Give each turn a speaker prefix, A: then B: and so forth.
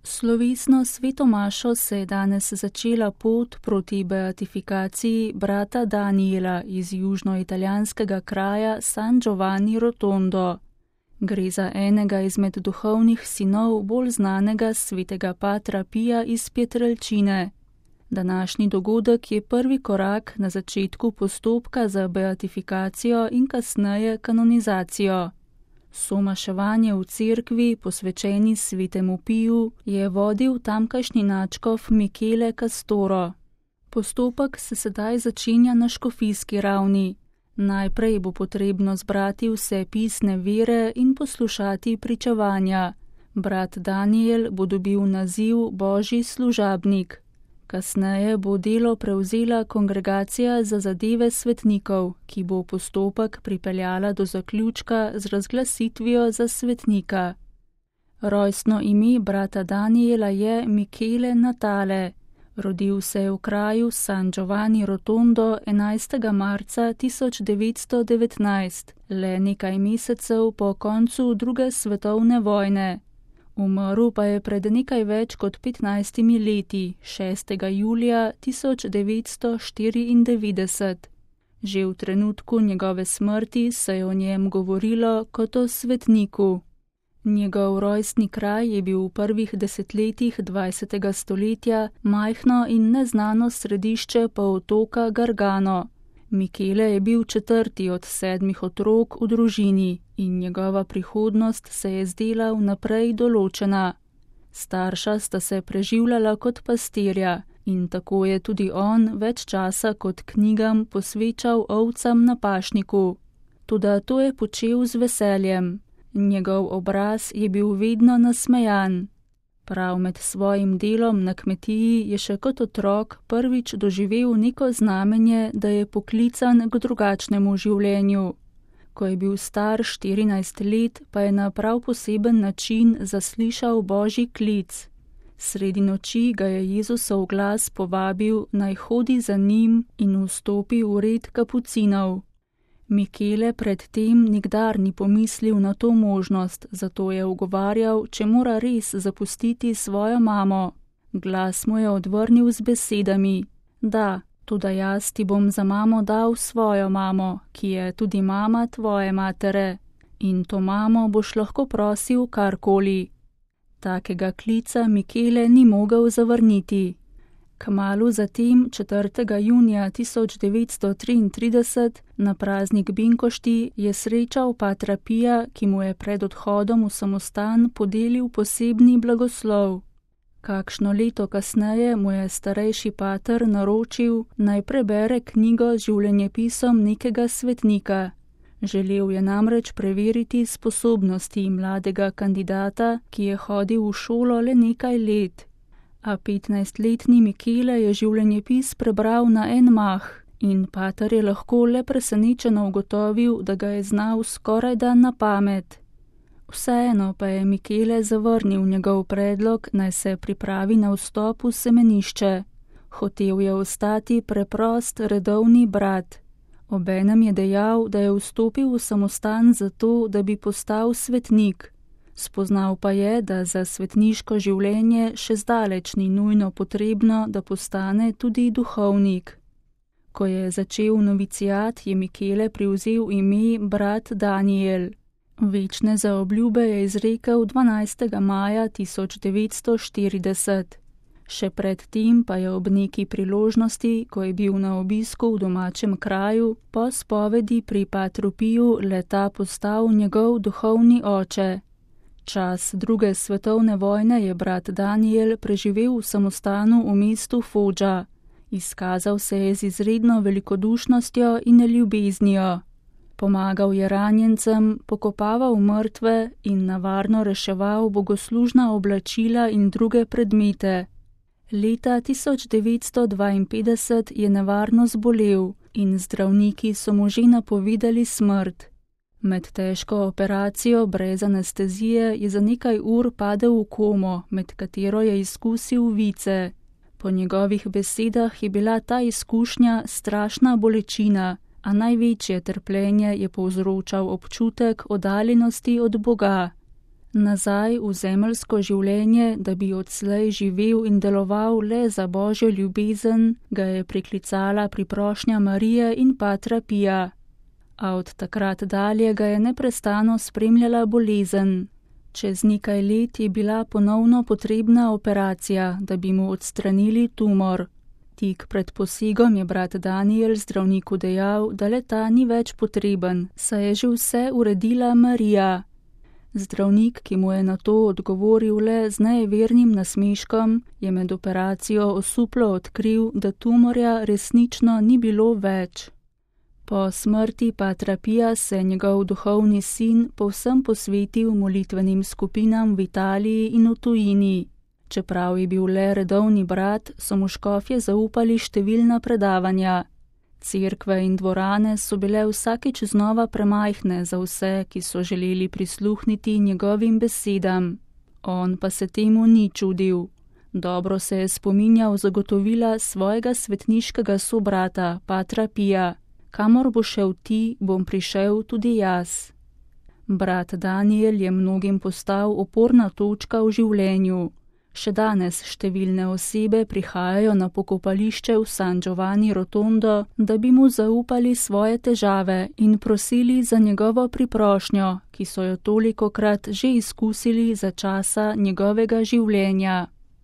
A: Slovesno sveto mašo se je danes začela pot proti beatifikaciji brata Daniela iz južnoitalijanskega kraja San Giovanni Rotondo. Gre za enega izmed duhovnih sinov bolj znanega svetega patra Pija iz Pietrelcine. Današnji dogodek je prvi korak na začetku postopka za beatifikacijo in kasneje kanonizacijo. Somaševanje v cerkvi, posvečeni svetemu Piju, je vodil tamkajšnji nadškof Michele Castoro. Postopek se sedaj začenja na škofijski ravni. Najprej bo potrebno zbrati vse pisne vere in poslušati pričevanja. Brat Daniel bo dobil naziv Božji služabnik. Kasneje bo delo prevzela Kongregacija za zadeve svetnikov, ki bo postopek pripeljala do zaključka z razglasitvijo za svetnika. Rojstno ime brata Daniela je Michele Natale. Rodil se je v kraju San Giovanni Rotondo 11. marca 1919, le nekaj mesecev po koncu druge svetovne vojne. Umrl pa je pred nekaj več kot 15 leti, 6. julija 1994. Že v trenutku njegove smrti se je o njem govorilo kot o svetniku. Njegov rojstni kraj je bil v prvih desetletjih 20. stoletja majhno in neznano središče polotoka Gargano. Michele je bil četrti od 7 otrok v družini in njegova prihodnost se je zdela vnaprej določena. Starša sta se preživljala kot pastirja in tako je tudi on več časa kot knjigam posvečal ovcam na pašniku. Toda to je počel z veseljem. Njegov obraz je bil vedno nasmejan. Prav med svojim delom na kmetiji je še kot otrok prvič doživel neko znamenje, da je poklican k drugačnemu življenju. Ko je bil star 14 let, pa je na prav poseben način zaslišal Božji klic. Sredi noči ga je Jezusov glas povabil, naj hodi za njim in vstopi v red kapucinov. Michele predtem nikdar ni pomislil na to možnost, zato je ugovarjal, če mora res zapustiti svojo mamo. Glas mu je odvrnil z besedami: da, toda jaz ti bom za mamo dal svojo mamo, ki je tudi mama tvoje matere. In to mamo boš lahko prosil karkoli. Takega klica Michele ni mogel zavrniti. Kmalu zatem, 4. junija 1933, na praznik Binkošti, je srečal patra Pija, ki mu je pred odhodom v samostan podelil posebni blagoslov. Kakšno leto kasneje mu je starejši pater naročil, naj prebere knjigo z življenjepisom nekega svetnika. Želel je namreč preveriti sposobnosti mladega kandidata, ki je hodil v šolo le nekaj let. A 15-letni Michele je življenjepis prebral na en mah in pater je lahko le presenečeno ugotovil, da ga je znal skorajda na pamet. Vseeno pa je Michele zavrnil njegov predlog, naj se pripravi na vstop v semenišče. Hotel je ostati preprost redovni brat. Obenem je dejal, da je vstopil v samostan zato, da bi postal svetnik. Spoznal pa je, da za svetniško življenje še zdaleč ni nujno potrebno, da postane tudi duhovnik. Ko je začel noviciat, je Michele privzel ime brat Daniel. Večne zaobljube je izrekel 12. maja 1940. Še pred tem pa je ob neki priložnosti, ko je bil na obisku v domačem kraju, po spovedi pri patru Piju le-ta postal njegov duhovni oče. Čas druge svetovne vojne je brat Daniel preživel v samostanu v mestu Foggia. Izkazal se je z izredno velikodušnostjo in ljubeznijo. Pomagal je ranjencem, pokopaval mrtve in navarno reševal bogoslužna oblačila in druge predmete. Leta 1952 je nevarno zbolel in zdravniki so mu že napovedali smrt. Med težko operacijo brez anestezije je za nekaj ur padel v komo, med katero je izkusil vice. Po njegovih besedah je bila ta izkušnja strašna bolečina, a največje trpljenje je povzročal občutek oddaljenosti od Boga. Nazaj v zemeljsko življenje, da bi odslej živel in deloval le za Božjo ljubezen, ga je priklicala priprošnja Marije in patra Pija. A od takrat dalje ga je neprestano spremljala bolezen. Čez nekaj let je bila ponovno potrebna operacija, da bi mu odstranili tumor. Tik pred posegom je brat Daniel zdravniku dejal, da le-ta ni več potreben, saj je že vse uredila Marija. Zdravnik, ki mu je na to odgovoril le z nejevernim nasmeškom, je med operacijo osuplo odkril, da tumorja resnično ni bilo več. Po smrti patra Pija se je njegov duhovni sin povsem posvetil molitvenim skupinam v Italiji in v tujini. Čeprav je bil le redovni brat, so mu škofje zaupali številna predavanja. Cerkve in dvorane so bile vsakič znova premajhne za vse, ki so želeli prisluhniti njegovim besedam. On pa se temu ni čudil. Dobro se je spominjal zagotovila svojega svetniškega sobrata, patra Pija. Kamor bo šel ti, bom prišel tudi jaz. Brat Daniel je mnogim postal oporna točka v življenju. Še danes številne osebe prihajajo na pokopališče v San Giovanni Rotondo, da bi mu zaupali svoje težave in prosili za njegovo priprošnjo, ki so jo tolikokrat že izkusili za časa njegovega življenja.